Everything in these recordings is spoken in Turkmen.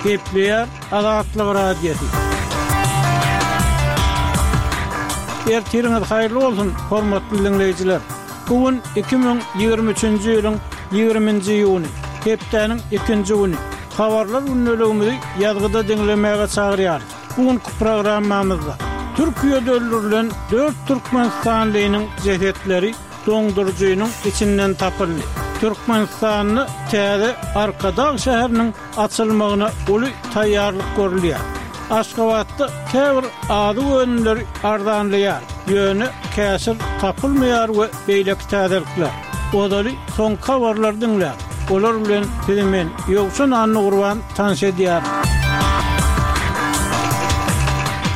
Gepleýär Azatlyk Radiosy. Ertiriňiz haýyrly bolsun, hormatly diňleýjiler! Bu gün 2023-nji ýylyň 20-nji iýuny, hepdäniň ikinji güni. Habarlar gündeligimizi ýazgyda diňlemäge çagyrýarys. Bu günki programmamyzda Türkiýede öldürilen dört türkmenistanlynyň jesetleri doňduryjynyň içinden tapyldy. Türkmenistanda täze Arkadag şäheriniň açylmagyna uly taýýarlyk görülýär. Aşgabatda käbir azyk önümleri arzanlaýar, ýöne käşir tapylmaýar we beýleki täzelikler. Ozaly soňky habarlary diňläň. Olar bilen sizi men, Ýowşan Annagurban tanyş edýärin.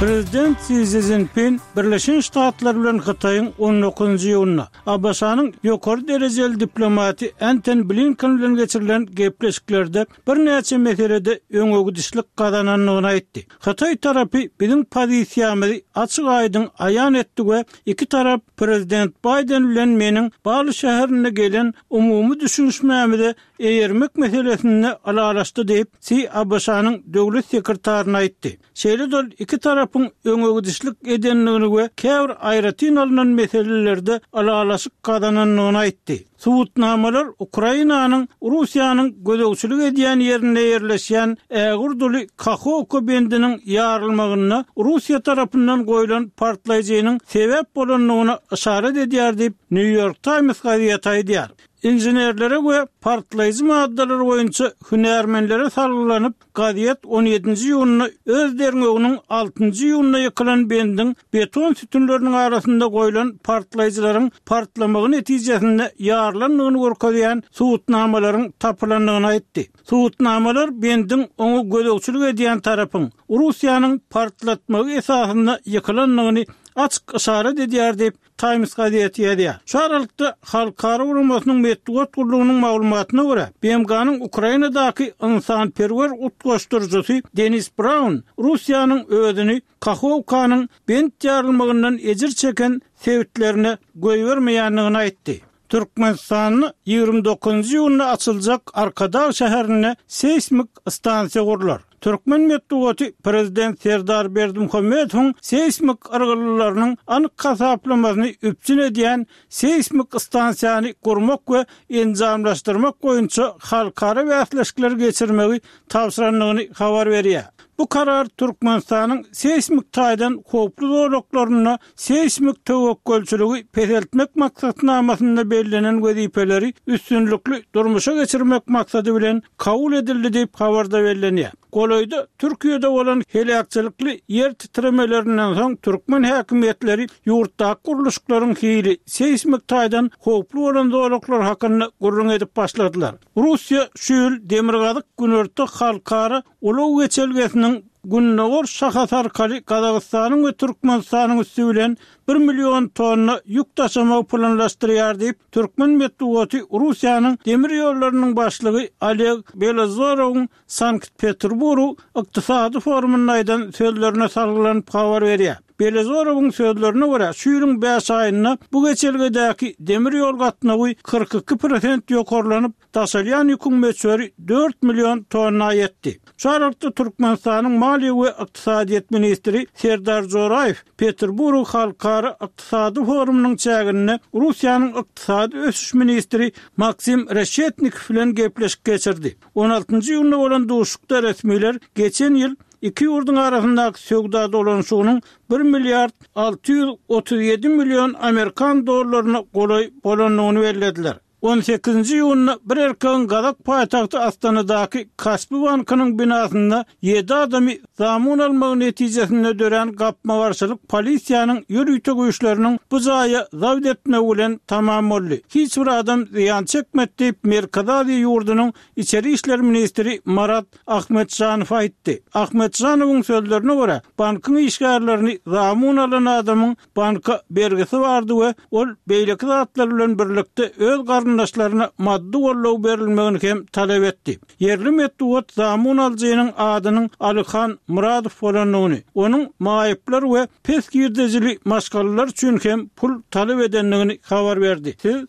Prezident Si Szinpin Birleşen Ştatlar bilen Hytaýyň on dokuzynjy iýunda ABŞ-nyň ýokary derejeli diplomaty Enten Blinken bilen geçirilen gepleşiklerde birnäçe meselede öňegidişlik gazanandygyny aýtdy. Hytaý tarapy biziň pozisiýamyzy açyk-aýdyň aýan etdi we iki tarap prezident Baýden bilen meniň Bali şäherinde gelen umumy düşünişmämize eýermek meselesinde ylalaşdy diýip, Si ABŞ-nyň döwlet sekretaryna aýtdy. Şeýle-de ol iki tarapyň öňegidişlik edendigini we käbir aýratyn alnan meselelerde ylalaşyk gazanandygyny aýtdy. Subutnamalar Ukrainanyň Russiýanyň gözegçilik edýän ýerinde ýerleşýän ägirt uly Kahowka bendiniň ýarylmagynda Russiýa tarapyndan goýlan partlaýjynyň sebäp bolandygyna yşarat edýär diýip, New York Times gazeti aýdýar. Inženerlere we partlaýjy maddalar boýunça hünärmenlere salgylanyp, Gazet on ýedinji iýunda öz derňewiniň altynjy iýunda ýykylan bendiň beton sütünleriniň arasynda goýlan partlaýjylaryň partlamagy netijesinde ýarylandygyny görkezýän subutnamalaryň tapylandygyny aýtdy. Subutnamalar bendiň oňa gözegçilik edýän tarapyň, Russiýanyň partlatmagy esasynda ýykylandygyny açyk yşarat edýär diýip, Times gazeti ýazýar. Şu aralykda, halkara guramasynyň metbugat gullugynyň maglumatyna görä, BMG-niň Ukrainadaky ynsanperwer utgaşdyryjysy Denis Braun Russiýanyň özüni Kahowkanyň bent ýarylmagyndan ejir çeken sebitlerine goýbermeýändigini aýtdy. Türkmenistanda 29-njy iýunda açyljak Arkadag şäherinde seýsmik stansiýa gurlar. Türkmen metbugaty prezident Serdar Berdimuhamedowyň seýsmik yrgyldylarynyň anyk hasaplamasyny üpjün edýän seýsmik stansiýany gurmak we enjamlaşdyrmak boýunça halkara bäsleşikleri geçirmegi tabşyrandygyny habar berýär. Bu karar Türkmenistanyň seýsmik taýdan howply zolaklarynda seýsmik töwekgelçiligi peseltmek maksatnamasynda bellenen wezipeleri üstünlikli durmuşa geçirmek maksady bilen kabul edildi diýip, habarda bellenýär. Golaýda Türkiýede bolan heläkçilikli ýer titremelerinden soň türkmen häkimiýetleri ýurtdaky gurluşyklaryň hili seýsmik taýdan howply bolan zolaklar hakynda gürrüň edip başladylar. Russiýa şu ýyl Demirgazyk-Günorta halkara ulag geçelgesiniň gündogar şahasy arkaly Gazagystanyň we Türkmenistanyň üsti bilen bir million tonna ýük daşamagy planlaşdyrýar diýip, türkmen metbugaty Russiýanyň demir ýollarynyň başlygy Oleg Belozorowyň Sankt-Peterburg ykdysady forumynda aýdan sözlerine salgylanyp habar berýär. Belozorowyň sözlerine görä, şu ýylyň bäş aýynda bu geçelgedäki demir ýol gatnawy 42 prosent ýokarlanyp, Daşalýan ýüküň möçberi dört million tonna ýetdi. Şu aralykda Türkmenistanyň maliýe we ykdysadyýet ministri Serdar Joraýew Peterburg halkara ykdysady forumynyň çäginde Russiýanyň ykdysady ösüş ministri Maksim Reşetnikow bilen gepleşik geçirdi. On altynjy iýunda bolan duşuşykda resmiler geçen ýyl iki ýurduň arasyndaky söwda dolanyşygynyň bir milliard 637 million amerikan dollaryna golaý bolandygyny bellediler. On sekizinji iýunda bir erkegiň gazak paýtagty Astanadaky Kaspi bankynyň binasynda ýedi adamy zamun almagy netijesinde dörän gapma-garşylyk polisiýanyň ýörite güýçleriniň bu jaýa zabt etmegi bilen tamam boldy. Hiç bir adam zyýan çekmedi diýip, Merkezi Aziýa ýurdunyň içeri işler ministri Marat Ahmetjanow aýtdy. Ahmetjanowyň sözlerine görä, bankyň işgärlerini zamun alan adamyň banka bergisi bardy we ol beýleki zatlar bilen birlikde öz garyndaşlaryna maddy goldaw berilmegini hem talap etdi. Ýerli metbugat zamun alyjynyň adynyň Alyhan Myradow bolandygyny, onuň maýyplar we pes girdejili maşgalalar üçin hem pul talap edendigini habar berdi. Siz.